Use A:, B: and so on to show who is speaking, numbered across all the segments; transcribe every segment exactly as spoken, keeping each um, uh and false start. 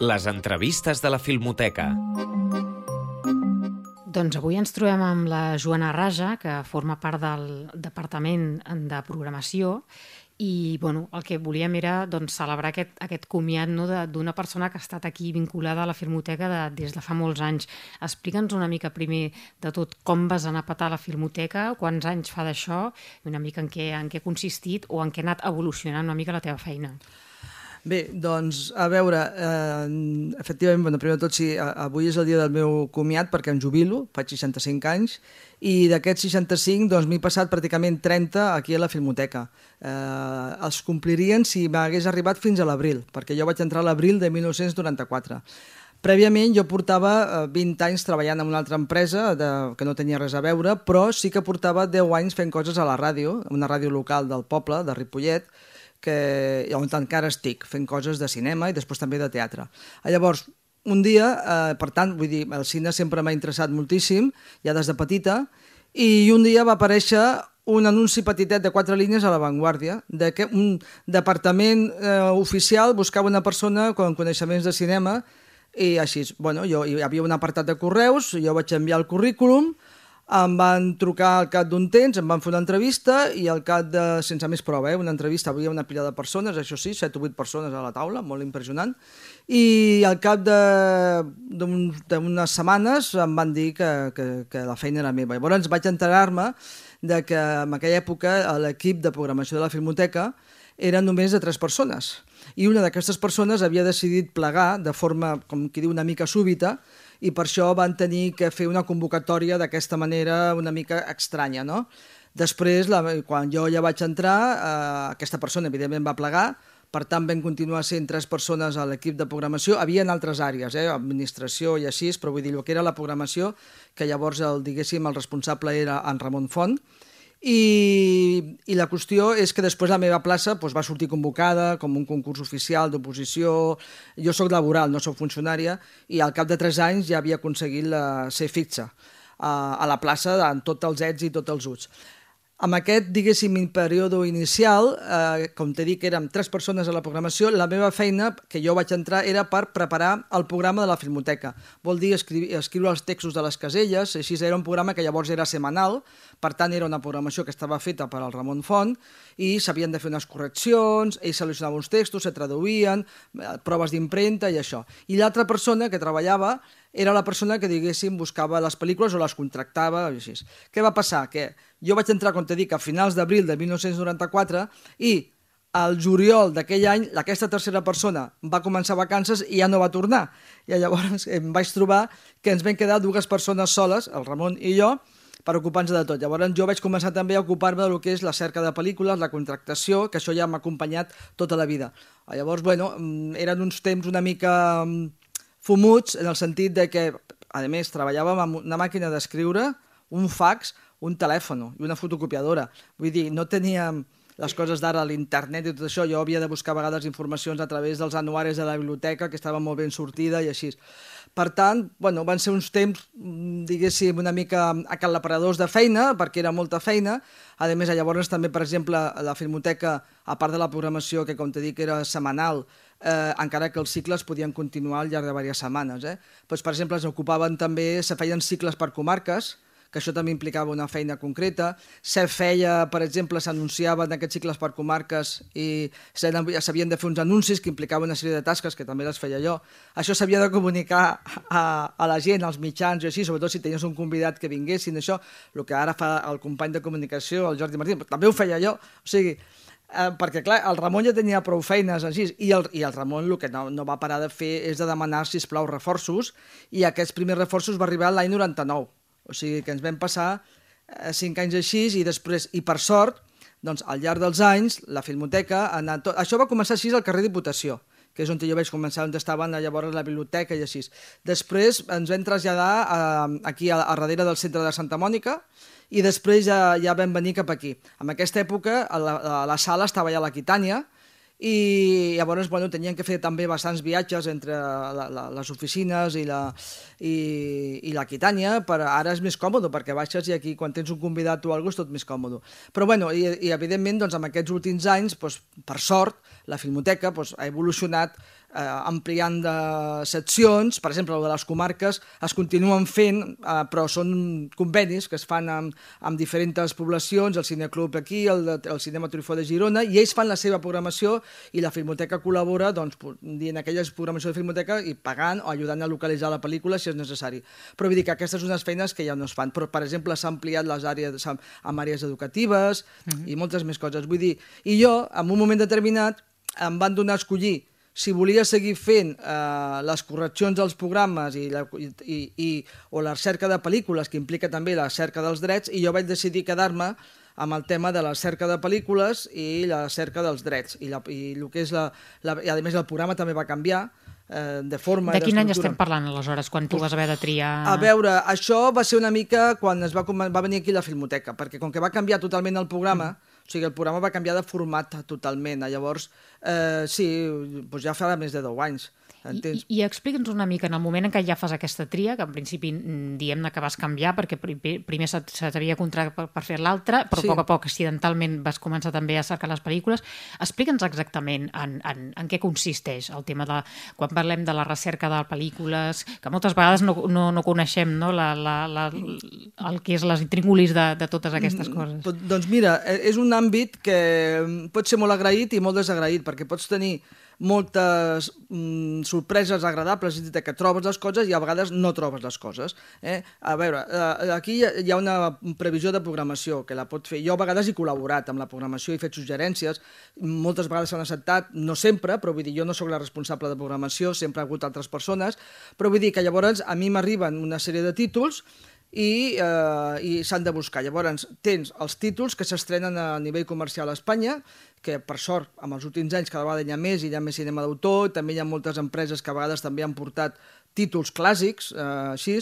A: Les entrevistes de la Filmoteca.
B: Doncs avui ens trobem amb la Joana Raja, que forma part del Departament de Programació, i bueno, el que volíem era doncs, celebrar aquest, aquest comiat no, d'una persona que ha estat aquí vinculada a la Filmoteca de, des de fa molts anys. Explica'ns una mica primer de tot com vas anar a petar a la Filmoteca, quants anys fa d'això, i una mica en què, en què ha consistit o en què ha anat evolucionant una mica la teva feina.
C: Bé, doncs, a veure, eh, efectivament, bueno, primer de tot, sí, avui és el dia del meu comiat perquè em jubilo, faig seixanta-cinc anys, i d'aquests seixanta-cinc doncs, m'he passat pràcticament trenta aquí a la Filmoteca. Eh, els complirien si m'hagués arribat fins a l'abril, perquè jo vaig entrar a l'abril de dinou noranta-quatre. Prèviament jo portava vint anys treballant en una altra empresa de, que no tenia res a veure, però sí que portava deu anys fent coses a la ràdio, una ràdio local del poble, de Ripollet, que, on encara estic, fent coses de cinema i després també de teatre. Llavors, un dia, eh, per tant, vull dir, el cine sempre m'ha interessat moltíssim, ja des de petita, i un dia va aparèixer un anunci petitet de quatre línies a La Vanguardia, de que un departament eh, oficial buscava una persona amb coneixements de cinema, i així, bueno, jo, hi havia un apartat de correus, jo vaig enviar el currículum, em van trucar al cap d'un temps, em van fer una entrevista i al cap de, sense més prova, eh, una entrevista, havia una pila de persones, això sí, set o vuit persones a la taula, molt impressionant, i al cap d'unes setmanes em van dir que, que, que la feina era meva. Llavors vaig enterar-me de que en aquella època l'equip de programació de la Filmoteca era només de tres persones, i una d'aquestes persones havia decidit plegar de forma, com qui diu, una mica súbita, i per això van tenir que fer una convocatòria d'aquesta manera una mica estranya, no? Després, la, quan jo ja vaig entrar, eh, aquesta persona evidentment va plegar, per tant vam continuar sent tres persones a l'equip de programació, havia en altres àrees, eh, administració i així, però vull dir, el que era la programació, que llavors el, diguéssim, el responsable era en Ramon Font, I, i la qüestió és que després la meva plaça doncs, va sortir convocada com un concurs oficial d'oposició. Jo soc laboral, no soc funcionària, i al cap de tres anys ja havia aconseguit la, ser fixa a, a la plaça amb tots els ets i tots els uts. Amb aquest, diguéssim, període inicial, eh, com t'he dit que érem tres persones a la programació, la meva feina, que jo vaig entrar, era per preparar el programa de la Filmoteca. Vol dir escriure, escriure els textos de les caselles, així era un programa que llavors era setmanal, per tant era una programació que estava feta per al Ramon Font, i s'havien de fer unes correccions, ell seleccionava uns textos, se traduïen, proves d'impremta i això. I l'altra persona que treballava era la persona que, diguéssim, buscava les pel·lícules o les contractava, i així. Què va passar? Que jo vaig entrar, com t'he dit, a finals d'abril de dinou noranta-quatre i al juliol d'aquell any aquesta tercera persona va començar vacances i ja no va tornar. I llavors em vaig trobar que ens vam quedar dues persones soles, el Ramon i jo, per ocupar-nos de tot. Llavors jo vaig començar també a ocupar-me del que és la cerca de pel·lícules, la contractació, que això ja m'ha acompanyat tota la vida. Llavors, bueno, eren uns temps una mica fumuts, en el sentit de que, a més, treballàvem amb una màquina d'escriure, un fax, un telèfon i una fotocopiadora. Vull dir, no teníem les coses d'ara, l'internet i tot això. Jo havia de buscar a vegades informacions a través dels anuaris de la biblioteca, que estava molt ben sortida i així. Per tant, bueno, van ser uns temps, diguéssim, una mica acalaparadors de feina, perquè era molta feina. A més, llavors també, per exemple, la Filmoteca, a part de la programació, que com t'he dit que era setmanal, eh, encara que els cicles podien continuar al llarg de diverses setmanes. Eh? Pues, per exemple, es ocupaven també, se feien cicles per comarques, que això també implicava una feina concreta. Se feia, per exemple, s'anunciaven aquests cicles per comarques i s'havien de fer uns anuncis que implicaven una sèrie de tasques que també les feia jo. Això s'havia de comunicar a, a la gent, als mitjans i així, sobretot si tenies un convidat que vinguessin, això, el que ara fa el company de comunicació, el Jordi Martín, també ho feia jo. O sigui, eh, perquè clar, el Ramon ja tenia prou feines així, i el, i el Ramon el que no, no va parar de fer és de demanar, sisplau, reforços, i aquests primers reforços va arribar l'any noranta-nou. O sigui que ens vam passar eh, cinc anys així i després, i per sort, doncs al llarg dels anys, la Filmoteca ha anat... Tot... Això va començar així al carrer Diputació, que és on jo vaig començar, on estaven llavors la biblioteca i així. Després ens vam traslladar a, aquí a, a darrere del centre de Santa Mònica i després ja, ja vam venir cap aquí. En aquesta època a la, a la sala estava ja l'Aquitània, i llavors bueno, tenien que fer també bastants viatges entre la, la, les oficines i la, i, i l'Aquitània, però ara és més còmode perquè baixes i aquí quan tens un convidat o alguna cosa és tot més còmode. Però bueno, i, i evidentment doncs, en aquests últims anys, doncs, per sort, la Filmoteca doncs, ha evolucionat eh, ampliant de seccions, per exemple, el de les comarques es continuen fent, eh, però són convenis que es fan amb, amb diferents poblacions, el Cineclub aquí, el, de, el Cinema Trifó de Girona, i ells fan la seva programació i la Filmoteca col·labora doncs, dient aquelles programacions de Filmoteca i pagant o ajudant a localitzar la pel·lícula si és necessari. Però vull dir que aquestes són unes feines que ja no es fan. Però, per exemple, s'ha ampliat les àrees amb àrees educatives uh-huh. i moltes més coses. Vull dir, i jo, en un moment determinat, em van donar a escollir si volia seguir fent eh, les correccions dels programes i, la, i, i, o la cerca de pel·lícules, que implica també la cerca dels drets, i jo vaig decidir quedar-me amb el tema de la cerca de pel·lícules i la cerca dels drets. I, la, i, el que és la, la, i a més el programa també va canviar, eh, de forma...
B: De quin any estem parlant, aleshores, quan tu vas haver de triar...
C: A veure, això va ser una mica quan es va, va venir aquí la Filmoteca, perquè com que va canviar totalment el programa, mm. o sigui, el programa va canviar de format totalment. Llavors, eh, sí, doncs ja fa més de deu anys.
B: I, i explica'ns una mica, en el moment en què ja fas aquesta tria, que en principi diem-ne que vas canviar perquè primer se, se t'havia contractat per, per fer l'altra, però sí. a poc a poc accidentalment vas començar també a cercar les pel·lícules. Explica'ns exactament en, en, en què consisteix el tema de, quan parlem de la recerca de pel·lícules, que moltes vegades no, no, no coneixem no? la, la, la, el que és les intríngulis de, de totes aquestes coses.
C: Doncs mira, és un àmbit que pot ser molt agraït i molt desagraït, perquè pots tenir moltes mm, sorpreses agradables, és a dir, que trobes les coses i a vegades no trobes les coses. Eh? A veure, eh, aquí hi ha una previsió de programació que la pot fer. Jo a vegades he col·laborat amb la programació, he fet suggerències, moltes vegades s'han acceptat, no sempre, però vull dir, jo no sóc la responsable de programació, sempre ha hagut altres persones, però vull dir que llavors a mi m'arriben una sèrie de títols i, eh, i s'han de buscar. Llavors tens els títols que s'estrenen a nivell comercial a Espanya, que per sort amb els últims anys cada vegada hi ha més, i hi ha més cinema d'autor, també hi ha moltes empreses que a vegades també han portat títols clàssics, eh, així.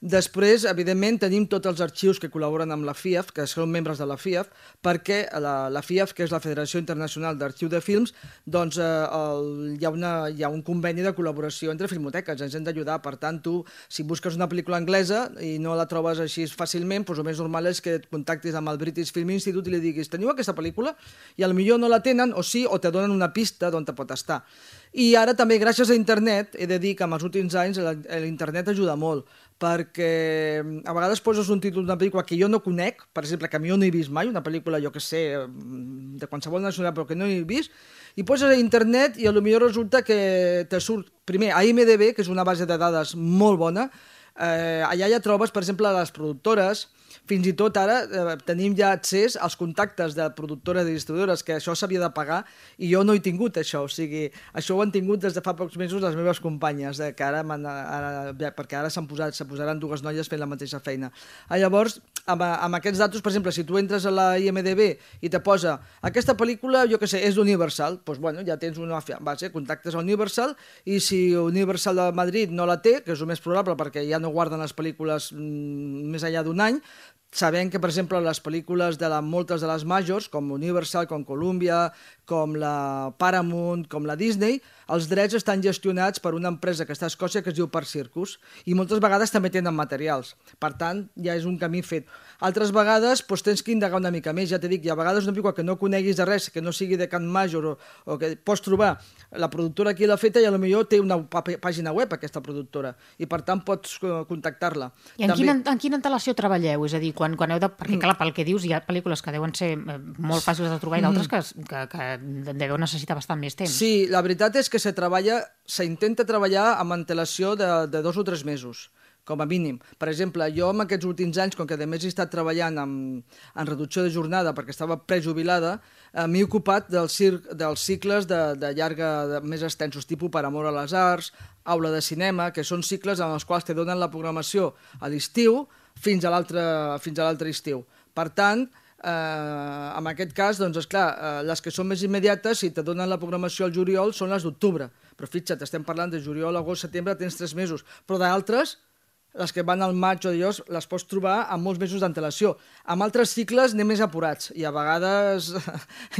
C: Després, evidentment, tenim tots els arxius que col·laboren amb la F I A F, que són membres de la F I A F, perquè la, la F I A F, que és la Federació Internacional d'Arxiu de Films, doncs eh, el, hi, ha una, hi ha un conveni de col·laboració entre filmoteques, ens hem d'ajudar. Per tant, tu, si busques una pel·lícula anglesa i no la trobes així fàcilment, doncs el més normal és que et contactis amb el British Film Institute i li diguis, teniu aquesta pel·lícula? I potser no la tenen, o sí, o te donen una pista d'on te pot estar. I ara també, gràcies a internet, he de dir que en els últims anys l'internet ajuda molt, perquè a vegades poses un títol d'una pel·lícula que jo no conec, per exemple, que jo no he vist mai, una pel·lícula, jo que sé, de qualsevol nacionalitat, però que no he vist, i poses a internet i potser resulta que te surt, primer, a I M D B, que és una base de dades molt bona, eh, allà ja trobes, per exemple, les productores. Fins i tot ara eh, tenim ja accés als contactes de productores i distribuïdores, que això s'havia de pagar i jo no he tingut això, o sigui, això ho han tingut des de fa pocs mesos les meves companyes, eh, que ara, ara perquè ara s'han posat, se posaran dues noies fent la mateixa feina. Ah, llavors, amb, amb aquests datos, per exemple, si tu entres a la I M D B i te posa aquesta pel·lícula, jo que sé, és d'Universal, doncs bueno, ja tens una base, contactes a Universal, i si Universal de Madrid no la té, que és el més probable perquè ja no guarden les pel·lícules mm, més enllà d'un any, sabem que, per exemple, les pel·lícules de la, moltes de les majors, com Universal, com Columbia, com la Paramount, com la Disney, els drets estan gestionats per una empresa que està a Escòcia que es diu Park Circus, i moltes vegades també tenen materials. Per tant, ja és un camí fet. Altres vegades doncs, tens que indagar una mica més. Ja t'he dit, hi ha vegades una pel·lícula que no coneguis de res, que no sigui de Can Major, o, o que pots trobar la productora qui l'ha feta i potser té una pàgina web, aquesta productora, i per tant pots contactar-la.
B: I en, també... quina, en quina antelació treballeu? És a dir, quan, quan heu de... Perquè, clar, pel que dius, hi ha pel·lícules que deuen ser molt fàcils de trobar i d'altres que, que, que deveu necessitar bastant més temps.
C: Sí, la veritat és que se treballa, s'intenta treballar amb antelació de, de dos o tres mesos, com a mínim. Per exemple, jo en aquests últims anys, com que a més he estat treballant en, en reducció de jornada perquè estava prejubilada, eh, m'he ocupat dels, dels cicles de, de llarga, de, més extensos, tipus Per amor a les arts, aula de cinema, que són cicles en els quals te donen la programació a l'estiu fins a l'altre estiu. Per tant, Eh, en aquest cas, doncs, esclar, eh, les que són més immediates, si te donen la programació al juliol, són les d'octubre. Però fixa't, estem parlant de juliol, agost, setembre, tens tres mesos. Però d'altres, les que van al maig o dios, les pots trobar amb molts mesos d'antelació. Amb altres cicles anem més apurats i a vegades,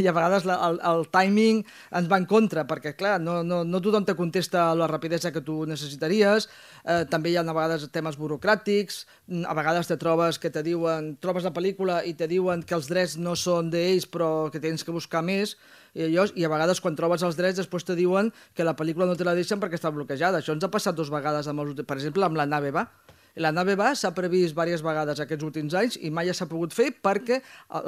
C: i a vegades la, el, el timing ens va en contra, perquè clar, no, no, no tothom te contesta a la rapidesa que tu necessitaries, eh, també hi ha a vegades temes burocràtics, a vegades te trobes que te diuen, trobes la pel·lícula i te diuen que els drets no són d'ells però que tens que buscar més, I, allò, i a vegades quan trobes els drets després te diuen que la pel·lícula no te la deixen perquè està bloquejada. Això ens ha passat dues vegades, amb els, per exemple, amb La nave va. La nave va s'ha previst diverses vegades aquests últims anys i mai s'ha pogut fer perquè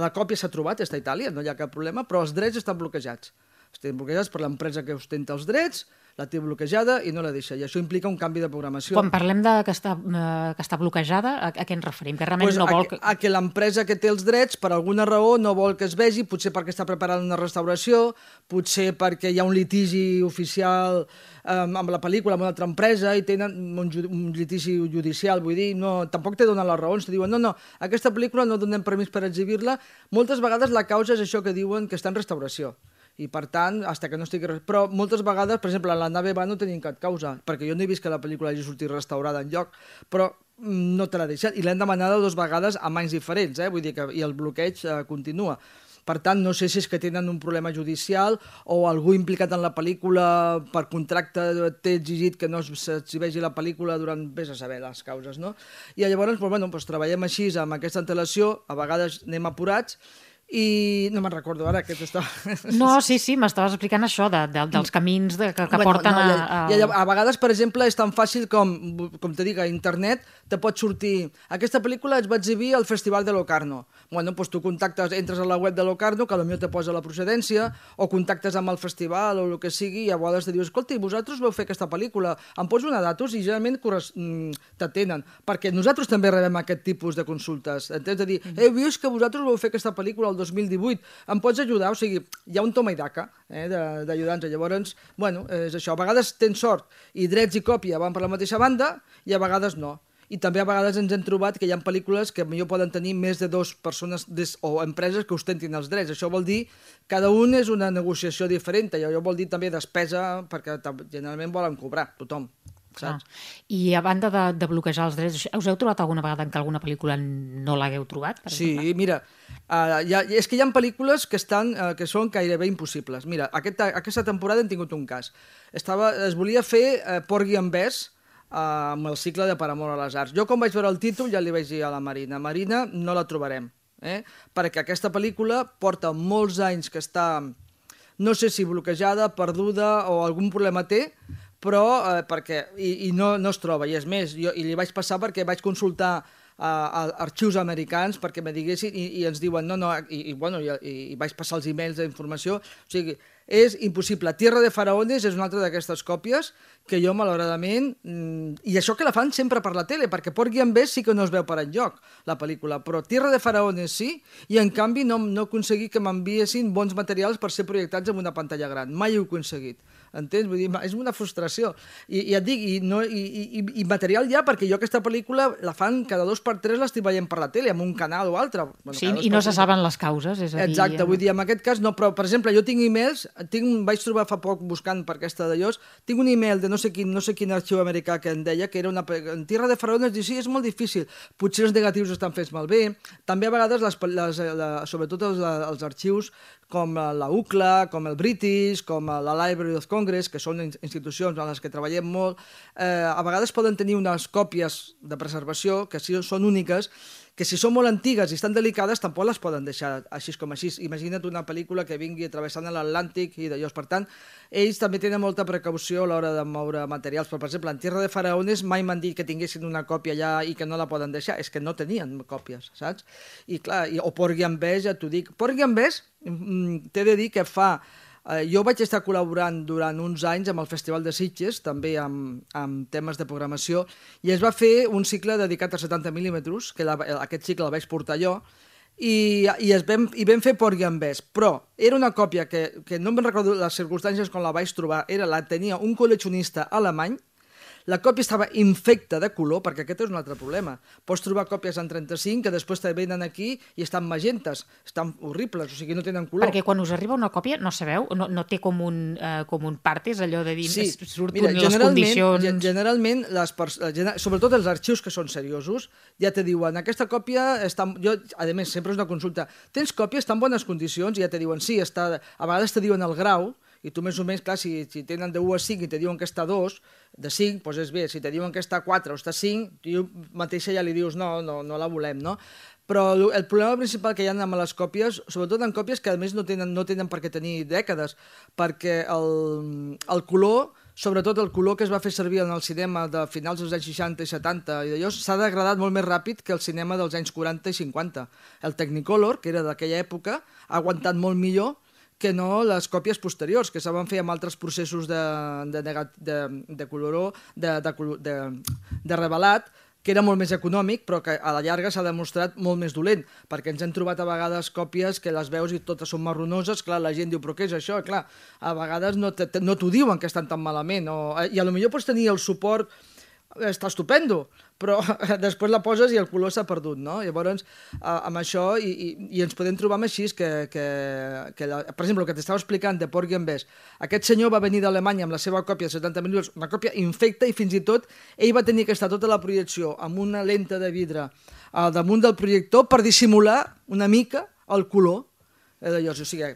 C: la còpia s'ha trobat, està a Itàlia, no hi ha cap problema, però els drets estan bloquejats. Estan bloquejats per l'empresa que ostenta els drets, la té bloquejada i no la deixa. I això implica un canvi de programació.
B: Quan parlem de que està, eh, que està bloquejada, a, a què ens referim? Que realment
C: pues
B: no vol...
C: A, a que l'empresa que té els drets, per alguna raó, no vol que es vegi, potser perquè està preparant una restauració, potser perquè hi ha un litigi oficial um, amb la pel·lícula, amb una altra empresa, i tenen un, un litigi judicial, vull dir, no, tampoc te donen les raons, te diuen, no, no, aquesta pel·lícula no donem permís per exhibir-la. Moltes vegades la causa és això que diuen que està en restauració. I per tant, hasta que no estigui... Però moltes vegades, per exemple, a La nave va no tenim cap causa, perquè jo no he vist que la pel·lícula hagi sortit restaurada enlloc, però no te l'ha deixat. I l'hem demanada dues vegades a anys diferents, eh? Vull dir que i el bloqueig eh, continua. Per tant, no sé si és que tenen un problema judicial o algú implicat en la pel·lícula per contracte té exigit que no s'exhibeixi la pel·lícula durant, vés a saber, les causes, no? I llavors, doncs, bueno, doncs, treballem així amb aquesta antelació, a vegades anem apurats, i no me'n recordo ara que t'estava...
B: No, sí, sí, m'estaves explicant això de, de, dels camins de, que, que
C: bueno,
B: porten
C: no,
B: a,
C: a...
B: a...
C: I a, a vegades, per exemple, és tan fàcil com, com te dic, a internet te pot sortir... Aquesta pel·lícula es va exhibir al Festival de Locarno. Bueno, doncs tu contactes, entres a la web de Locarno, que potser te posa la procedència, o contactes amb el festival o el que sigui, i a vegades te dius, escolta, vosaltres vau fer aquesta pel·lícula, em pots donar datos? I generalment t'atenen, perquè nosaltres també rebem aquest tipus de consultes. Entens? De dir, he vist que vosaltres vau fer aquesta pel·lícula el dos mil divuit, em pots ajudar? O sigui, hi ha un toma i daca eh, d'ajudants. Llavors, bueno, és això. A vegades tens sort i drets i còpia van per la mateixa banda i a vegades no. I també a vegades ens hem trobat que hi ha pel·lícules que potser poden tenir més de dues persones des, o empreses que ostentin els drets. Això vol dir cada un és una negociació diferent. I això vol dir també despesa, perquè generalment volen cobrar tothom. Saps?
B: Ah. I a banda de, de bloquejar els drets, us heu trobat alguna vegada en què alguna pel·lícula no l'hagueu trobat? Per
C: sí,
B: exemple?
C: Mira, uh, hi ha, és que hi ha pel·lícules que, estan, uh, que són gairebé impossibles. Mira, aquesta, aquesta temporada hem tingut un cas. Estava, es volia fer uh, Porgy and Bess, Uh, amb el cicle de Per amor a les arts. Jo quan vaig veure el títol ja li vaig dir a la Marina, Marina, no la trobarem, eh? Perquè aquesta pel·lícula porta molts anys que està, no sé si bloquejada, perduda o algun problema té, però eh, perquè, i, i no, no es troba, i és més, jo, i li vaig passar perquè vaig consultar a, a arxius americans perquè me diguessin i, i ens diuen no, no, i, i, bueno, i, i vaig passar els e-mails d'informació, o sigui, és impossible. Tierra de Faraones és una altra d'aquestes còpies que jo, malauradament... Mmm, I això que la fan sempre per la tele, perquè Porgy and Bess sí que no es veu per enlloc, la pel·lícula, però Tierra de Faraones sí, i en canvi no, no he aconseguit que m'enviessin bons materials per ser projectats en una pantalla gran. Mai ho he aconseguit. Entens? Vull dir, és una frustració. I, i et dic, i, no, i, i, i material ja, perquè jo aquesta pel·lícula la fan cada dos per tres, l'estic veient per la tele, en un canal o altre. Bueno,
B: sí, i no se saben les causes, és a dir...
C: Exacte, vull dir, en aquest cas no, però, per exemple, jo tinc e-mails, tinc, vaig trobar fa poc buscant per aquesta d'allòs, tinc un e-mail de no sé quin, no sé quin arxiu americà que em deia que era una... En Tierra de Faraones, diu, sí, és molt difícil, potser els negatius estan fets malbé, també a vegades, les, les, la, sobretot els, els arxius, com la U C L A, com el British, com la Library of Congress, que són institucions en les que treballem molt, eh, a vegades poden tenir unes còpies de preservació que sí són úniques, que si són molt antigues i estan delicades tampoc les poden deixar així com així. Imagina't una pel·lícula que vingui travessant l'Atlàntic i d'allò. Per tant, ells també tenen molta precaució a l'hora de moure materials. Però, per exemple, en Tierra de Faraones mai m'han dit que tinguessin una còpia allà i que no la poden deixar. És que no tenien còpies, saps? I clar, i, o Porgy and Bess, ja t'ho dic. Porgy and Bess, mm, t'he de dir que fa... Jo vaig estar col·laborant durant uns anys amb el Festival de Sitges, també amb, amb temes de programació, i es va fer un cicle dedicat a setanta mil·límetres, que la, aquest cicle el vaig portar jo, i, i, es vam, i vam fer Porgy and Bess, però era una còpia que, que no me'n recordo les circumstàncies quan la vaig trobar, era la tenia un col·leccionista alemany. La còpia estava infecta de color, perquè aquest és un altre problema. Pots trobar còpies en trenta-cinc que després te venen aquí i estan magentes, estan horribles, o sigui, no tenen color.
B: Perquè quan us arriba una còpia, no sabeu, no, no té com un, uh, com un partes, allò de dir,
C: sí.
B: surten
C: Mira,
B: les condicions...
C: Generalment, les gener sobretot els arxius que són seriosos, ja te diuen, aquesta còpia està... Jo, a més, sempre és una consulta. Tens còpia, està en bones condicions? I ja te diuen, sí, està... A vegades te diuen el grau, i tu més o menys, clar, si, si tenen de u a cinc i te diuen que està dos, de cinc, doncs és bé. Si te diuen que està quatre o està cinc, tu mateixa ja li dius no, no, no la volem, no? Però el problema principal que hi ha amb les còpies, sobretot en còpies que a més no tenen, no tenen per què tenir dècades, perquè el, el color, sobretot el color que es va fer servir en el cinema de finals dels anys seixanta i setanta i d'allò, s'ha degradat molt més ràpid que el cinema dels anys quaranta i cinquanta. El Technicolor, que era d'aquella època, ha aguantat molt millor que no les còpies posteriors, que se van fer amb altres processos de, de, de, de coloró, de, de, de, de revelat, que era molt més econòmic, però que a la llarga s'ha demostrat molt més dolent, perquè ens hem trobat a vegades còpies que les veus i totes són marronoses, clar, la gent diu, però què és això? Clar, a vegades no t'ho no diuen que estan tan malament, o, i a lo millor pots tenir el suport, està estupendo, però després la poses i el color s'ha perdut, no? Llavors, amb això, i, i, i ens podem trobar amb així, que, que, que la, per exemple, el que t'estava explicant de Porgy and Bess, aquest senyor va venir d'Alemanya amb la seva còpia de setanta milions, una còpia infecta, i fins i tot ell va tenir que estar tota la projecció amb una lenta de vidre al damunt del projector per dissimular una mica el color. Llavors, o sigui,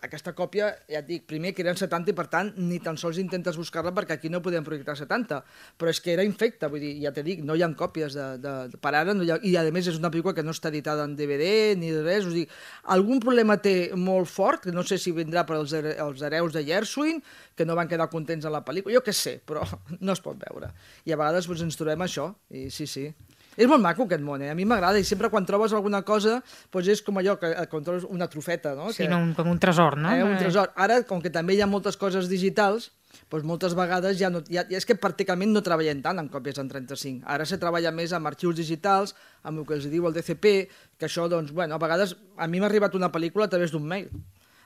C: aquesta còpia, ja et dic, primer que eren setanta i per tant ni tan sols intentes buscar-la perquè aquí no podem projectar setanta, però és que era infecta, vull dir, ja t'he dit, no hi ha còpies de, de, de per ara, no hi ha, i a més és una pel·lícula que no està editada en D V D ni res, o sigui, algun problema té molt fort, que no sé si vindrà per als, els hereus de Gershwin, que no van quedar contents en la pel·lícula, jo què sé, però no es pot veure. I a vegades doncs, ens trobem això, i sí, sí. És molt maco aquest món, eh? A mi m'agrada, i sempre quan trobes alguna cosa doncs és com allò, que quan trobes una trofeta, no?
B: Sí,
C: que,
B: no, com un tresor, no?
C: Eh, un tresor. Ara, com que també hi ha moltes coses digitals, doncs moltes vegades ja no... Ja, ja és que pràcticament no treballem tant amb còpies en trenta-cinc. Ara se treballa més amb arxius digitals, amb el que els diu el D C P, que això, doncs, bueno, a vegades a mi m'ha arribat una pel·lícula a través d'un mail,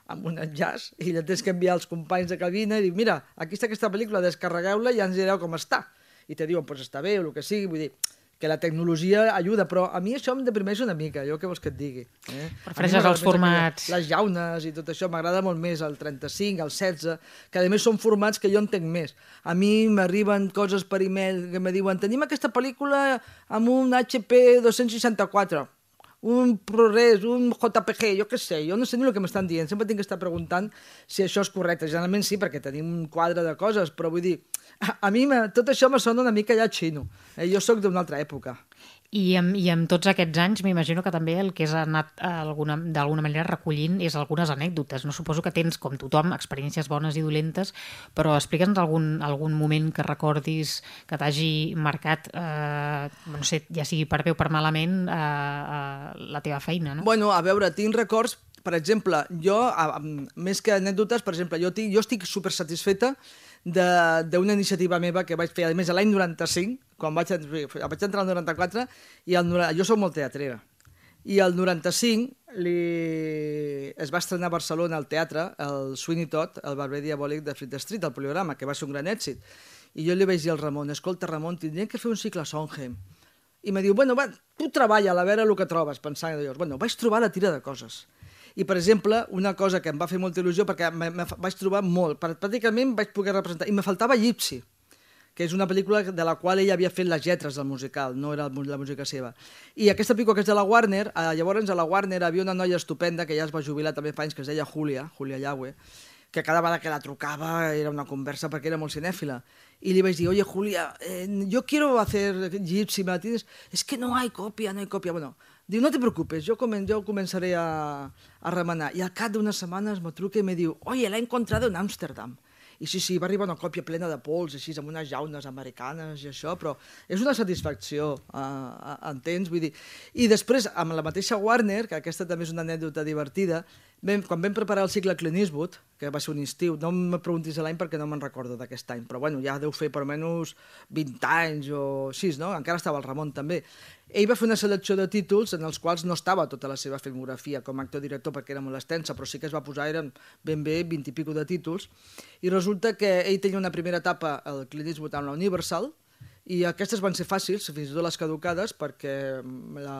C: amb un enllaç, i la tens que enviar als companys de cabina i dir, mira, aquí està aquesta pel·lícula, descarregueu-la i ja ens direu com està. I te diuen, doncs està bé, o el que sigui, vull dir... que la tecnologia ajuda, però a mi això em deprimeix una mica, jo què vols que et digui. Eh?
B: Prefereixes els formats...
C: Les llaunes i tot això, m'agrada molt més el trenta-cinc, el setze, que a més són formats que jo entenc més. A mi m'arriben coses per e-mail que me diuen tenim aquesta pel·lícula amb un H P dos-cents seixanta-quatre, un ProRes, un J P G, jo què sé, jo no sé ni el que m'estan dient, sempre tinc que estar preguntant si això és correcte. Generalment sí, perquè tenim un quadre de coses, però vull dir, a, a mi tot això me sona una mica ja xino. Eh, jo sóc d'una altra època.
B: I amb, I amb tots aquests anys m'imagino que també el que has anat d'alguna manera recollint és algunes anècdotes. No suposo que tens, com tothom, experiències bones i dolentes, però explica'ns algun, algun moment que recordis que t'hagi marcat, eh, no sé, ja sigui per bé o per malament, eh, eh, la teva feina, no?
C: Bueno, a veure, tinc records, per exemple, jo, a, a, més que anècdotes, per exemple, jo, tinc, jo estic super satisfeta d'una iniciativa meva que vaig fer, a més, l'any noranta-cinc, quan vaig, vaig entrar al noranta-quatre, i el, jo soc molt teatrera, i el noranta-cinc li... es va estrenar a Barcelona al teatre el Sweeney Todd, el barber diabòlic de Fleet Street, el poliograma, que va ser un gran èxit. I jo li vaig dir al Ramon, escolta, Ramon, tindríem que fer un cicle a Sondheim. I em diu, bueno, va, tu treballa, a veure el que trobes, pensant llavors. Bueno, vaig trobar la tira de coses. I, per exemple, una cosa que em va fer molta il·lusió, perquè me, me vaig trobar molt, pràcticament vaig poder representar, i me faltava Gypsy, que és una pel·lícula de la qual ell havia fet les lletres del musical, no era la música seva. I aquesta pel·lícula, que és de la Warner, eh, llavors a la Warner havia una noia estupenda, que ja es va jubilar també fa anys, que es deia Julia, Julia Yagüe, que cada vegada que la trucava era una conversa perquè era molt cinèfila. Y le vais a decir, oye, Julia, eh, yo quiero hacer Gypsy, ¿me la tienes? Es que no hay copia, no hay copia. Bueno, diu, no te preocupes, yo, comen, yo comenzaré a, a remenar. I al cap d'unes setmanes me truca i me diu, oye, la he encontrado en Amsterdam. I sí, sí, va arribar una còpia plena de pols, així, amb unes llaunes americanes i això, però és una satisfacció, uh, entens? Vull dir. I després, amb la mateixa Warner, que aquesta també és una anècdota divertida, vam, quan vam preparar el cicle Clint Eastwood, que va ser un estiu, no me preguntis l'any perquè no me'n recordo d'aquest any, però bueno, ja deu fer per almenys vint anys o així, no? Encara estava el Ramon també. Ell va fer una selecció de títols en els quals no estava tota la seva filmografia com a actor-director perquè era molt extensa, però sí que es va posar, eren ben bé vint i pico de títols, i resulta que ell tenia una primera etapa, el Clint Eastwood amb la Universal, i aquestes van ser fàcils, fins i tot les caducades, perquè la,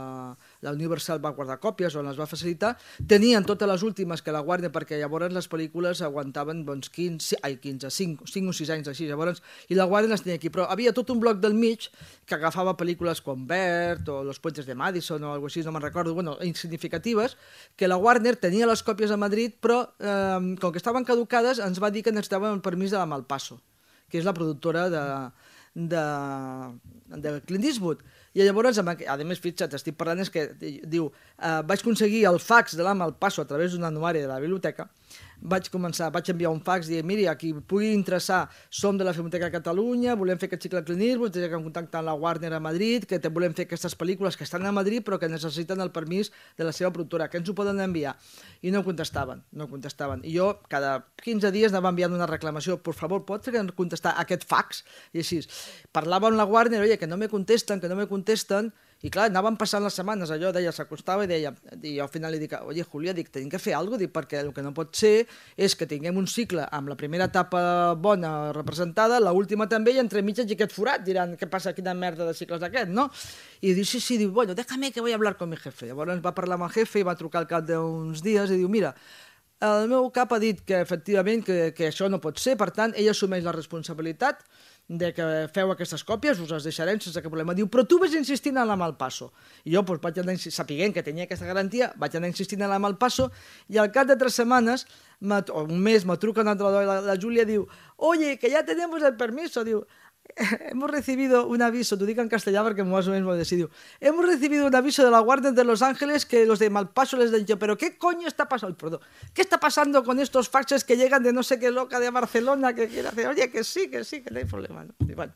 C: la Universal va guardar còpies o les va facilitar. Tenien totes les últimes que la Warner, perquè llavors les pel·lícules aguantaven doncs, quinze, ai, quinze, cinc, cinc o sis anys així, llavors, i la Warner les tenia aquí. Però havia tot un bloc del mig que agafava pel·lícules com Bert o Los Puentes de Madison o alguna cosa així, no me'n recordo, bueno, insignificatives, que la Warner tenia les còpies a Madrid, però eh, com que estaven caducades ens va dir que necessitaven el permís de la Malpaso, que és la productora de... de, de Clint Eastwood. I llavors, a més, fixa't, estic parlant, és que diu, eh, vaig aconseguir el fax de l'Ama al Passo a través d'un anuari de la biblioteca, vaig començar, vaig enviar un fax dient, miri, a qui pugui interessar, som de la Filmoteca de Catalunya, volem fer aquest cicle Clint Eastwood, té que contactar amb la Warner a Madrid, que te volem fer aquestes pel·lícules que estan a Madrid però que necessiten el permís de la seva productora, que ens ho poden enviar. I no contestaven, no contestaven. I jo cada quinze dies anava enviant una reclamació, per favor, pots contestar aquest fax? I així. Parlava amb la Warner, oye, que no me contesten, que no me contesten, i clar, anaven passant les setmanes, allò deia, s'acostava i deia, i al final li dic, oye, Julia, dic, tenim que fer alguna cosa, dic, perquè el que no pot ser és que tinguem un cicle amb la primera etapa bona representada, l'última també, i entre mitges i aquest forat, diran, què passa, quina merda de cicles d'aquest, no? I diu, sí, sí, diu, bueno, déjame que voy a hablar con mi jefe. Llavors va parlar amb el jefe i va trucar al cap d'uns dies i diu, mira, el meu cap ha dit que efectivament que, que això no pot ser, per tant, ell assumeix la responsabilitat de que feu aquestes còpies, us les deixarem sense cap problema. Diu, però tu vas insistint en la Malpasso. I jo, doncs, vaig anar, sapiguent que tenia aquesta garantia, vaig anar insistint en la Malpasso i al cap de tres setmanes, o un mes, me truca una altra dona, la, la Júlia, diu, oye, que ya tenemos el permiso, diu, hemos recibido un aviso, t'ho dic en castellà perquè más o menos m'ho decidiu, hemos recibido un aviso de la Warner de Los Ángeles que los de Malpaso les han dicho, pero ¿qué coño está pasando? Perdón, ¿qué está pasando con estos faxes que llegan de no sé qué loca de Barcelona que quiere hacer? Oye, que sí, que sí, que no hay problema. No? I bueno,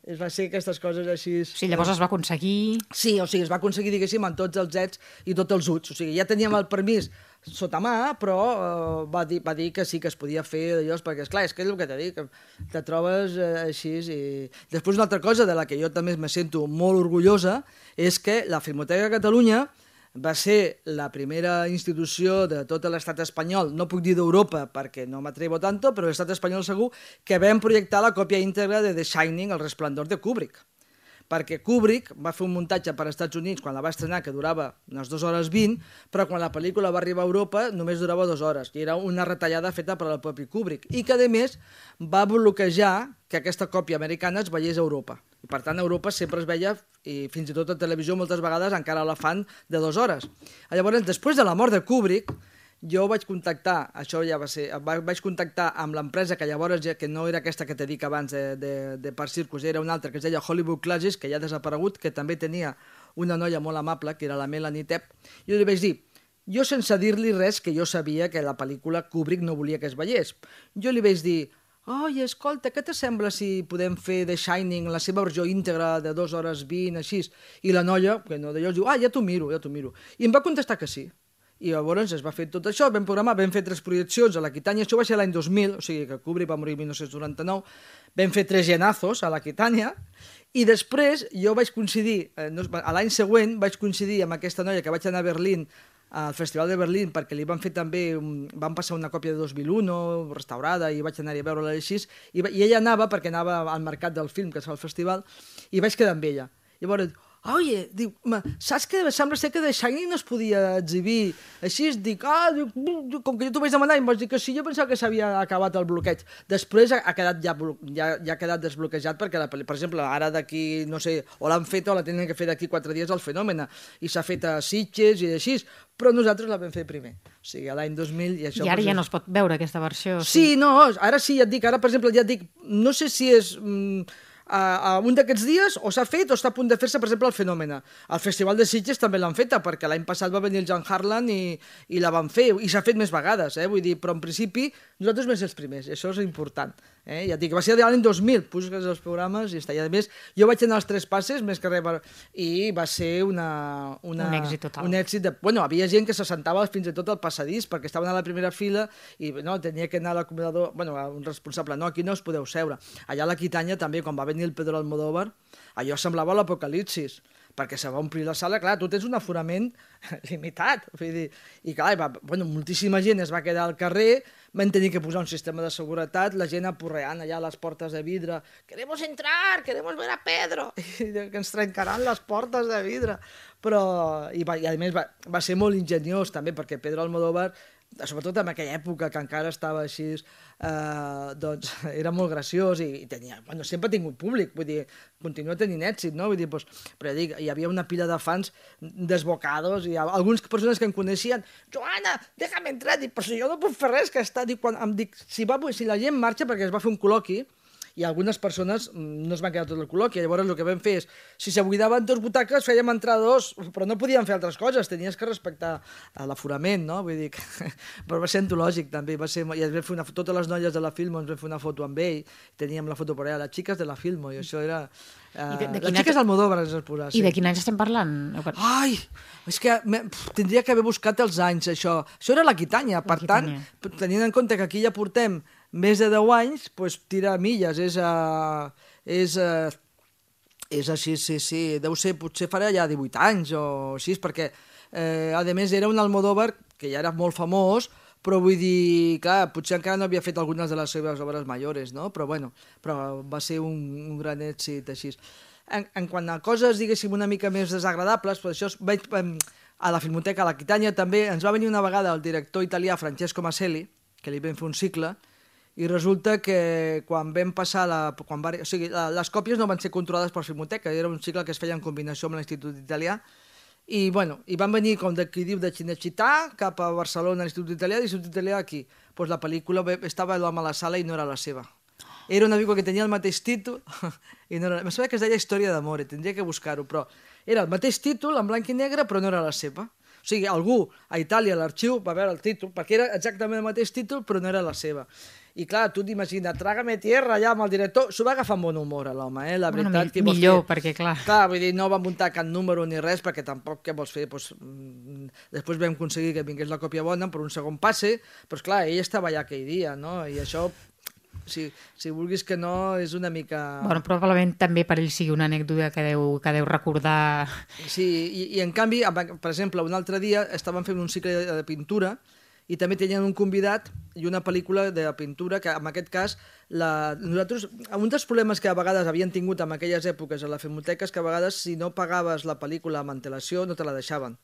C: es va ser aquestes coses així...
B: Sí, llavors es va aconseguir...
C: Sí, o sigui, es va aconseguir, diguéssim, amb tots els ets i tots els uts. O sigui, ja teníem el permís sota mà, però uh, va, dir, va dir que sí que es podia fer d'allò, perquè, esclar, és que és el que t'he dit, que te trobes uh, així i... Després una altra cosa de la que jo també me sento molt orgullosa és que la Filmoteca de Catalunya va ser la primera institució de tot l'estat espanyol, no puc dir d'Europa perquè no m'atrevo tanto, però l'estat espanyol segur, que vam projectar la còpia íntegra de The Shining, El resplendor de Kubrick. Perquè Kubrick va fer un muntatge per als Estats Units quan la va estrenar, que durava unes dues hores vint, però quan la pel·lícula va arribar a Europa només durava dues hores, i era una retallada feta per al propi Kubrick, i que, a més, va bloquejar que aquesta còpia americana es veiés a Europa. I, per tant, a Europa sempre es veia, i fins i tot a televisió moltes vegades encara la fan de dues hores. Llavors, després de la mort de Kubrick, jo vaig contactar, això ja va ser, vaig contactar amb l'empresa que llavors, que no era aquesta que t'he dit abans de, de, de Park Circus, era una altra que es deia Hollywood Classes, que ja ha desaparegut, que també tenia una noia molt amable, que era la Melanie Tepp. Jo li vaig dir, jo sense dir-li res, que jo sabia que la pel·lícula Kubrick no volia que es veiés. Jo li vaig dir, oi, escolta, què t'assembla si podem fer The Shining, la seva versió íntegra de dues hores vint, així? I la noia, que no d'allò, diu, ah, ja t'ho miro, ja t'ho miro. I em va contestar que sí. I llavors es va fer tot això, vam programar, vam fer tres projeccions a l'Aquitània, això va ser l'any dos mil, o sigui que Kubrick va morir el dinou noranta-nou, vam fer tres llenazos a l'Aquitània, i després jo vaig coincidir, eh, a l'any següent vaig coincidir amb aquesta noia que vaig anar a Berlín, al Festival de Berlín, perquè li van fer també, van passar una còpia de dos mil u, restaurada, i vaig anar-hi a veure-la així, i, i ella anava, perquè anava al mercat del film, que es fa al festival, i vaig quedar amb ella. Llavors, oye, diu, saps que sembla ser que The Shining no es podia exhibir així? Dic, ah, dic, com que jo t'ho vaig demanar i em vas dir que sí, jo pensava que s'havia acabat el bloqueig. Després ha quedat ja, ja, ja ha quedat desbloquejat perquè, la, per exemple, ara d'aquí, no sé, o l'han fet o la tenen que fer d'aquí quatre dies al Fenòmena, i s'ha fet a Sitges i així, però nosaltres la vam fer primer. O sigui, a l'any dos mil... I, això,
B: I ara
C: ja
B: no es pot veure aquesta versió.
C: Sí, sí, no, ara sí, ja et dic, ara, per exemple, ja et dic, no sé si és... Mm, Uh, un d'aquests dies o s'ha fet o està a punt de fer-se, per exemple, el Fenòmena. Al Festival de Sitges també l'han feta, perquè l'any passat va venir el John Harlan i, i la van fer, i s'ha fet més vegades, eh? Vull dir, però en principi nosaltres vam ser els primers, això és important. Eh? Ja dic, va ser l'any dos mil, puges els programes i està. I a més, jo vaig anar als tres passes, més que res, per... i va ser una, una,
B: un èxit total.
C: Un èxit de... Bueno, havia gent que se sentava fins i tot al passadís, perquè estaven a la primera fila i no, tenia que anar a l'acomodador, bueno, a un responsable, no, aquí no us podeu seure. Allà a l'Aquitània també, quan va venir el Pedro Almodóvar, allò semblava l'apocalipsis, perquè se va omplir la sala, clar, tu tens un aforament limitat, vull dir, i clar, va, bueno, moltíssima gent es va quedar al carrer, van tenir que posar un sistema de seguretat, la gent apurreant allà a les portes de vidre, queremos entrar, queremos ver a Pedro, i que ens trencaran les portes de vidre, però, i, va, i a més va, va ser molt ingeniós també, perquè Pedro Almodóvar, sobretot en aquella època que encara estava així, eh, doncs era molt graciós i, i tenia, bueno, sempre ha tingut públic, vull dir, continua tenint èxit, no? Vull dir, doncs, però ja dic, hi havia una pila de fans desbocados i algunes persones que em coneixien, Joana, déjame entrar, dic, però si jo no puc fer res, que està, dic, quan em dic, si, va, si la gent marxa, perquè es va fer un col·loqui, i algunes persones no es van quedar tot el col·loqui. Llavors el que vam fer és, si se buidaven dos butaques, fèiem entrar dos, però no podíem fer altres coses, tenies que respectar l'aforament, no? Vull dir que... però va ser antològic també, va ser... I ens vam fer una... totes les noies de la Filmo ens vam fer una foto amb ell, teníem la foto per allà, les xiques de la Filmo, i això era... Uh, de, de les xiques any... Almodóvar ens has posat.
B: I sí. De quin any estem parlant?
C: Ai, és que pff, tindria que haver buscat els anys, això. Això era l'Aquitània, per tant, tenint en compte que aquí ja portem més de deu anys, doncs tira milles, és... Uh, és uh, és així, sí, sí, deu ser, potser farà ja divuit anys o així, perquè, eh, a més, era un Almodóvar que ja era molt famós, però vull dir, clar, potser encara no havia fet algunes de les seves obres majores, no? Però, bueno, però va ser un, un gran èxit així. En, en quant a coses, diguéssim, una mica més desagradables, doncs això, vaig, a la Filmoteca, a l'Aquitània també, ens va venir una vegada el director italià Francesco Maselli, que li vam fer un cicle, i resulta que quan vam passar la... Quan va, o sigui, les còpies no van ser controlades per Filmoteca, era un cicle que es feia en combinació amb l'Institut Italià, i, bueno, i van venir, com de qui diu, de Cinecittà cap a Barcelona, a l'Institut Italià, i l'Institut Italià aquí. Pues la pel·lícula estava l'home a la sala i no era la seva. Era una pel·lícula que tenia el mateix títol, i no era... Em sembla que es deia Història d'Amore, tindria que buscar-ho, però era el mateix títol, en blanc i negre, però no era la seva. O sigui, algú a Itàlia, a l'arxiu, va veure el títol, perquè era exactament el mateix títol, però no era la seva. I clar, tu t'imagines, Trágame tierra, allà amb el director, s'ho va agafar amb bon humor, l'home, eh? La
B: bueno,
C: veritat,
B: mi, millor, fer... perquè clar...
C: Clar, vull dir, no va muntar cap número ni res, perquè tampoc, què vols fer? Pues, després vam aconseguir que vingués la còpia bona per un segon passe, però clar, ell estava allà aquell dia, no? I això, si, si vulguis que no, és una mica...
B: Bueno, probablement també per ell sigui una anècdota que deu, que deu recordar...
C: Sí, i, i en canvi, per exemple, un altre dia estàvem fent un cicle de pintura i també tenien un convidat i una pel·lícula de pintura que, en aquest cas, la... nosaltres... Un dels problemes que a vegades havien tingut en aquelles èpoques a la Filmoteca és que a vegades, si no pagaves la pel·lícula amb antelació, no te la deixaven.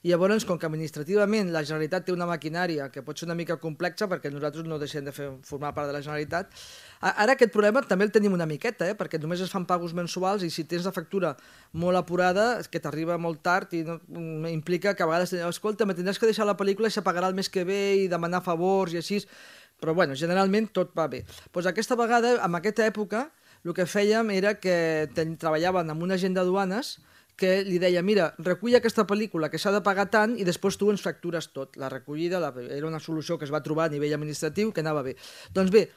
C: I llavors, com que administrativament la Generalitat té una maquinària que pot ser una mica complexa, perquè nosaltres no deixem de fer, formar part de la Generalitat, ara aquest problema també el tenim una miqueta, eh? Perquè només es fan pagos mensuals i si tens la factura molt apurada, que t'arriba molt tard i no, implica que a vegades, escolta, me tindràs que deixar la pel·lícula i se pagarà el mes que ve i demanar favors i així, però bueno, generalment tot va bé. Doncs aquesta vegada, en aquesta època, el que fèiem era que ten, treballàvem amb un agent de duanes que li deia, mira, recull aquesta pel·lícula que s'ha de pagar tant i després tu ens factures tot. La recollida la, era una solució que es va trobar a nivell administratiu que anava bé. Doncs bé,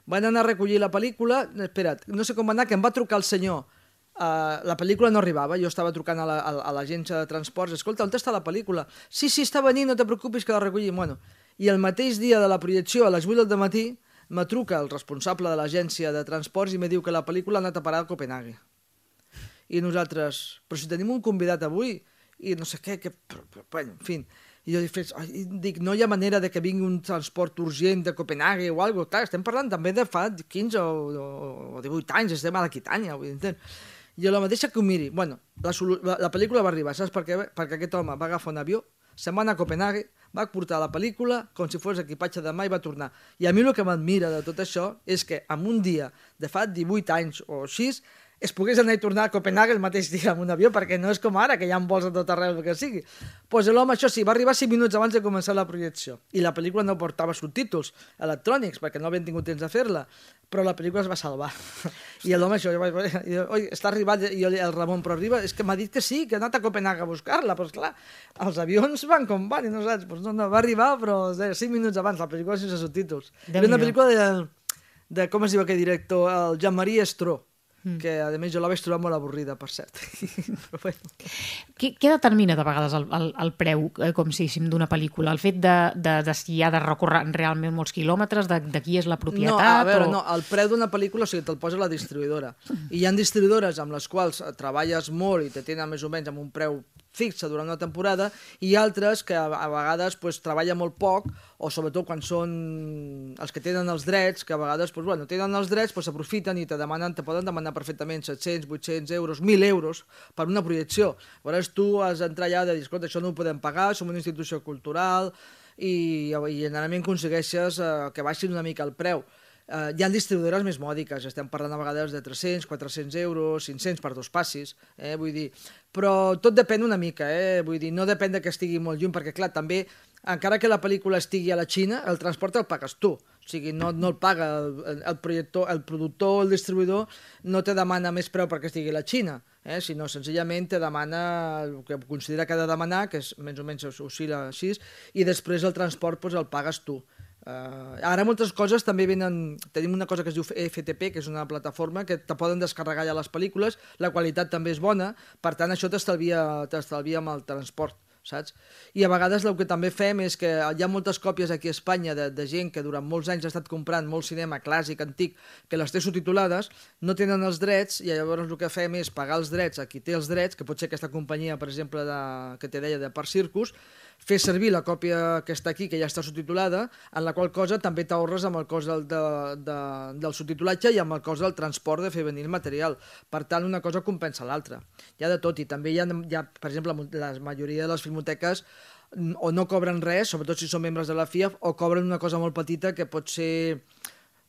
C: van anar a recollir la pel·lícula, espera't, no sé com va anar, que em va trucar el senyor, uh, la pel·lícula no arribava, jo estava trucant a l'agència la, a, a de transports, escolta, on està la pel·lícula? Sí, sí, està venint, no te preocupis que la recollim. Bueno, i el mateix dia de la projecció, a les vuit del matí, me truca el responsable de l'agència de transports i me diu que la pel·lícula ha anat a parar a Copenhague. I nosaltres, però si tenim un convidat avui, i no sé què, que... Però, però, bueno, en fi... I jo dic, no hi ha manera de que vingui un transport urgent de Copenhague o alguna cosa. Clar, estem parlant també de fa quinze o divuit anys, estem a l'Aquitània. I la mateixa que ho miri. Bueno, la, la, la pel·lícula va arribar, saps per què? Perquè aquest home va agafar un avió, se'n va anar a Copenhague, va portar la pel·lícula com si fos equipatge de mà i va tornar. I a mi el que m'admira de tot això és que en un dia de fa divuit anys o així, es pogués anar i tornar a Copenhague el mateix dia amb un avió, perquè no és com ara, que hi ha vols a tot arreu que sigui. Doncs pues l'home, això sí, va arribar cinc minuts abans de començar la projecció. I la pel·lícula no portava subtítols electrònics, perquè no havien tingut temps de fer-la, però la pel·lícula es va salvar. I l'home, això, oi, està arribat, i el Ramon, però arriba, és que m'ha dit que sí, que ha anat a Copenhague a buscar-la, però esclar, els avions van com van, i no saps, pues no, no, va arribar, però cinc minuts abans, la pel·lícula sense subtítols. Era una pel·lícula de, de, com es diu aquell director, el Jean-Marie Estró, que a més jo la vaig trobar molt avorrida, per cert. Però bueno.
B: Què, què determina de vegades el, el, el preu, eh, com si diguéssim, d'una pel·lícula? El fet de, de, de si ha de recórrer realment molts quilòmetres, de, de qui és la propietat?
C: No, a veure,
B: o...
C: no, el preu d'una pel·lícula, o sigui, te'l posa la distribuïdora. I hi ha distribuïdores amb les quals treballes molt i te tenen més o menys amb un preu fixa durant una temporada, i altres que a, a vegades pues, treballen molt poc, o sobretot quan són els que tenen els drets, que a vegades pues, bueno, tenen els drets, pues, s'aprofiten i te demanen, te poden demanar perfectament set-cents, vuit-cents euros, mil euros per una projecció. Llavors tu has d'entrar allà de dir, escolta, això no ho podem pagar, som una institució cultural, i, i generalment aconsegueixes eh, que baixin una mica el preu. Uh, hi ha distribuïdores més mòdiques, estem parlant a vegades de tres-cents, quatre-cents euros, cinc-cents per dos passis, eh, vull dir, però tot depèn una mica, eh, vull dir, no depèn de que estigui molt lluny, perquè clar, també, encara que la pel·lícula estigui a la Xina, el transport el pagues tu, o O sigui, no, no el paga el, el, projector, el productor, el distribuïdor, no te demana més preu perquè estigui a la Xina, eh? Sinó senzillament te demana el que considera que ha de demanar, que és més o menys oscil·la així, i després el transport doncs, el pagues tu. Uh, ara moltes coses també venen... Tenim una cosa que es diu F T P, que és una plataforma que te poden descarregar ja les pel·lícules, la qualitat també és bona, per tant això t'estalvia t'estalvia amb el transport, saps? I a vegades el que també fem és que hi ha moltes còpies aquí a Espanya de, de gent que durant molts anys ha estat comprant molt cinema clàssic, antic, que les té subtitulades, no tenen els drets, i llavors el que fem és pagar els drets a qui té els drets, que pot ser aquesta companyia, per exemple, de, que te deia de Park Circus, fer servir la còpia que està aquí, que ja està subtitulada, en la qual cosa també t'ahorres amb el cost del, de, de, del subtitulatge i amb el cost del transport de fer venir el material. Per tant, una cosa compensa l'altra. Hi ha de tot, i també hi ha, hi ha, per exemple, la majoria de les filmoteques o no cobren res, sobretot si són membres de la F I A F, o cobren una cosa molt petita que pot ser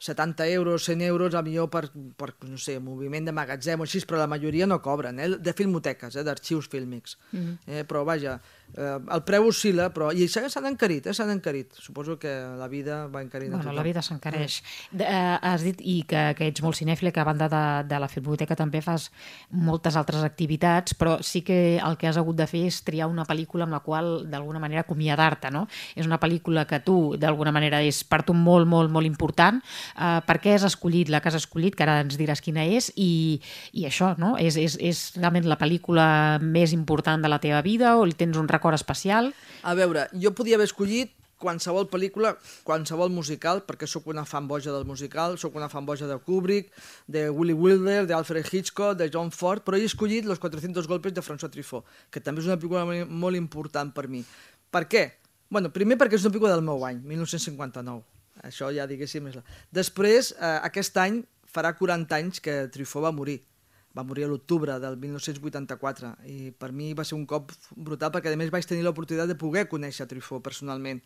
C: setanta euros, cent euros, a millor per, per, no sé, moviment de magatzem o així, però la majoria no cobren, eh? De filmoteques, eh? D'arxius fílmics. Mm. Eh? Però vaja, eh, el preu oscil·la, però... I s'han encarit, eh? S'han encarit. Suposo que la vida va encarint a
B: bueno,
C: tothom.
B: La vida s'encareix. Mm. Eh, has dit i que, que ets molt cinèfil, que a banda de, de la filmoteca també fas moltes altres activitats, però sí que el que has hagut de fer és triar una pel·lícula amb la qual d'alguna manera acomiadar-te, no? És una pel·lícula que tu d'alguna manera és per tu molt, molt, molt important. Uh, per què has escollit la que has escollit, que ara ens diràs quina és, i, i això, no? És, és, és realment la pel·lícula més important de la teva vida o li tens un record especial?
C: A veure, jo podia haver escollit qualsevol pel·lícula, qualsevol musical, perquè sóc una fan boja del musical, sóc una fan boja de Kubrick, de Willy Wilder, d'Alfred Hitchcock, de John Ford, però he escollit Los cuatrocientos golpes de François Truffaut, que també és una pel·lícula molt important per mi. Per què? Bueno, primer perquè és una pel·lícula del meu any, mil nou-cents cinquanta-nou. Això ja diguéssim és la... Després, eh, aquest any farà quaranta anys que Truffaut va morir. Va morir a l'octubre del mil nou-cents vuitanta-quatre i per mi va ser un cop brutal perquè a més vaig tenir l'oportunitat de poder conèixer Truffaut personalment.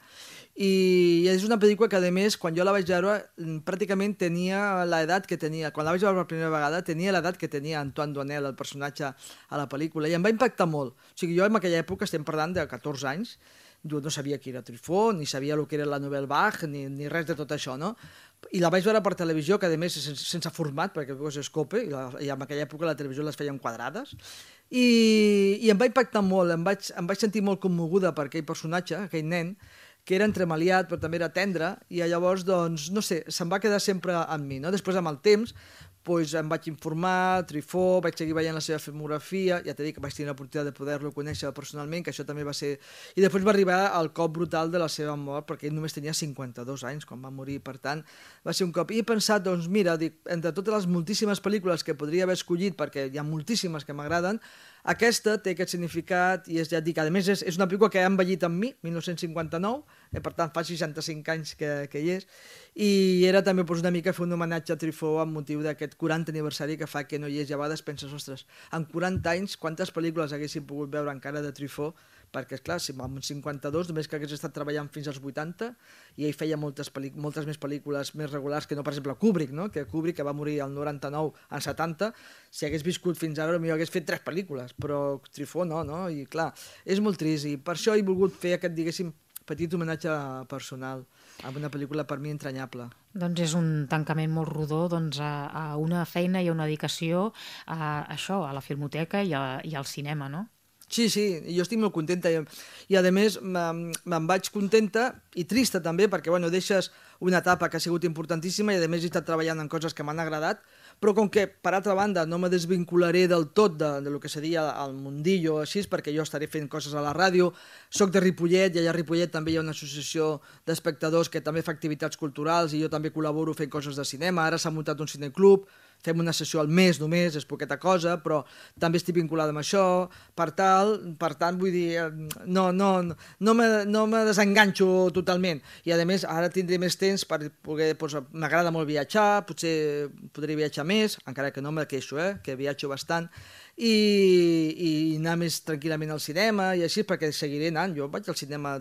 C: I és una pel·lícula que a més quan jo la vaig veure pràcticament tenia l'edat que tenia, quan la vaig veure per primera vegada tenia l'edat que tenia Antoine Doinel, el personatge a la pel·lícula, i em va impactar molt. O sigui, jo en aquella època, estem parlant de catorze anys, jo no sabia qui era Truffaut, ni sabia el que era la Nouvelle Vague, ni, ni res de tot això, no? I la vaig veure per televisió, que a més sense, sense format, perquè és Scope, i, la, i en aquella època la televisió les feien quadrades, i, i em va impactar molt, em vaig, em vaig sentir molt commoguda per aquell personatge, aquell nen, que era entremaliat, però també era tendre, i llavors, doncs, no sé, se'm va quedar sempre amb mi, no? Després, amb el temps, doncs em vaig informar, Truffaut, vaig seguir veient la seva filmografia, ja t'he dit que vaig tenir l'oportunitat de poder-lo conèixer personalment, que això també va ser... I després va arribar el cop brutal de la seva mort, perquè ell només tenia cinquanta-dos anys quan va morir, per tant, va ser un cop. I he pensat, doncs mira, dic, entre totes les moltíssimes pel·lícules que podria haver escollit, perquè hi ha moltíssimes que m'agraden, aquesta té aquest significat i és, ja et dic, a més és, és una pel·lícula que ha envellit amb mi, mil nou-cents cinquanta-nou, eh, per tant fa seixanta-cinc anys que, que hi és, i era també doncs, una mica fer un homenatge a Truffaut amb motiu d'aquest quaranta aniversari que fa que no hi és, i a vegades penses, ostres, en quaranta anys quantes pel·lícules haguéssim pogut veure encara de Truffaut, perquè esclar, si amb cinquanta-dos només que hagués estat treballant fins als vuitanta i ell feia moltes, moltes més pel·lícules més regulars que no, per exemple, Kubrick, no? Que Kubrick, que va morir al noranta-nou, al setanta, si hagués viscut fins ara potser hagués fet tres pel·lícules, però Truffaut no, no? I clar, és molt trist i per això he volgut fer aquest, diguéssim, petit homenatge personal amb una pel·lícula per mi entranyable.
B: Doncs és un tancament molt rodó doncs, a, a una feina i a una dedicació a això, a la filmoteca i, a, i al cinema, no?
C: Sí, sí, jo estic molt contenta i, i a més me'n vaig contenta i trista també perquè bueno, deixes una etapa que ha sigut importantíssima i a més he estat treballant en coses que m'han agradat, però com que per altra banda no me desvincularé del tot de, de lo que seria el mundillo així, perquè jo estaré fent coses a la ràdio, soc de Ripollet i allà a Ripollet també hi ha una associació d'espectadors que també fa activitats culturals i jo també col·laboro fent coses de cinema, ara s'ha muntat un cineclub, fem una sessió al mes només, és poqueta cosa, però també estic vinculada amb això, per tal, per tant, vull dir, no, no, no, me, no me desenganxo totalment. I a més, ara tindré més temps per poder, doncs, m'agrada molt viatjar, potser podré viatjar més, encara que no me queixo, eh, que viatjo bastant, i, i anar més tranquil·lament al cinema, i així, perquè seguiré anant, jo vaig al cinema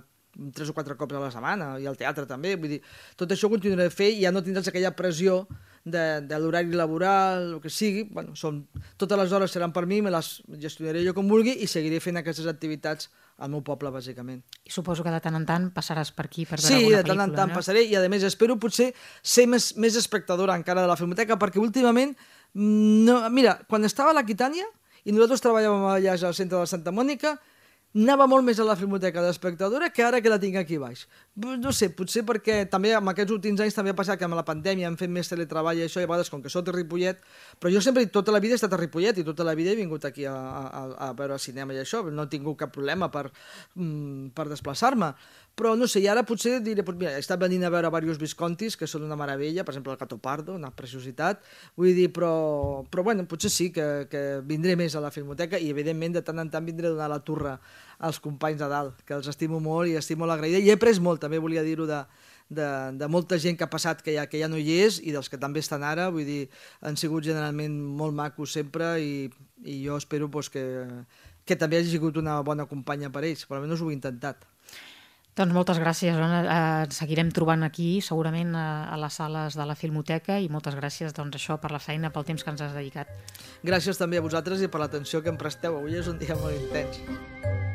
C: tres o quatre cops a la setmana, i al teatre també, vull dir, tot això ho continuaré a fer i ja no tindràs aquella pressió de, de l'horari laboral, el que sigui, bueno, són, totes les hores seran per mi, me les gestionaré jo com vulgui i seguiré fent aquestes activitats al meu poble, bàsicament.
B: I suposo que de tant en tant passaràs per aquí per veure
C: sí,
B: alguna pel·lícula,
C: de tant en tant
B: no?
C: passaré, i a més espero potser ser més, més espectadora encara de la Filmoteca, perquè últimament, no, mira, quan estava a l'Aquitània i nosaltres treballàvem allà al centre de la Santa Mònica, anava molt més a la Filmoteca d'espectadora que ara que la tinc aquí baix. No sé, potser perquè també en aquests últims anys també ha passat que amb la pandèmia hem fet més teletreball i això, i a vegades com que soc de Ripollet, però jo sempre tota la vida he estat a Ripollet i tota la vida he vingut aquí a, a, a veure cinema i això, no he tingut cap problema per, mm, per desplaçar-me. Però no sé, i ara potser diré, pues mira, he estat venint a veure diversos Viscontis, que són una meravella, per exemple el Gato Pardo, una preciositat, vull dir, però, però bueno, potser sí que, que vindré més a la Filmoteca i evidentment de tant en tant vindré a donar la turra als companys de dalt, que els estimo molt i estic molt agraïda, i he après molt, també volia dir-ho, de, de, de molta gent que ha passat que ja, que ja no hi és i dels que també estan ara, vull dir, han sigut generalment molt macos sempre i, i jo espero pues, que, que també hagi sigut una bona companya per ells, però almenys ho he intentat.
B: Doncs moltes gràcies, Joan. Eh, seguirem trobant aquí, segurament, a, a les sales de la Filmoteca, i moltes gràcies doncs, això per la feina, pel temps que ens has dedicat.
C: Gràcies també a vosaltres i per l'atenció que em presteu. Avui és un dia molt intens.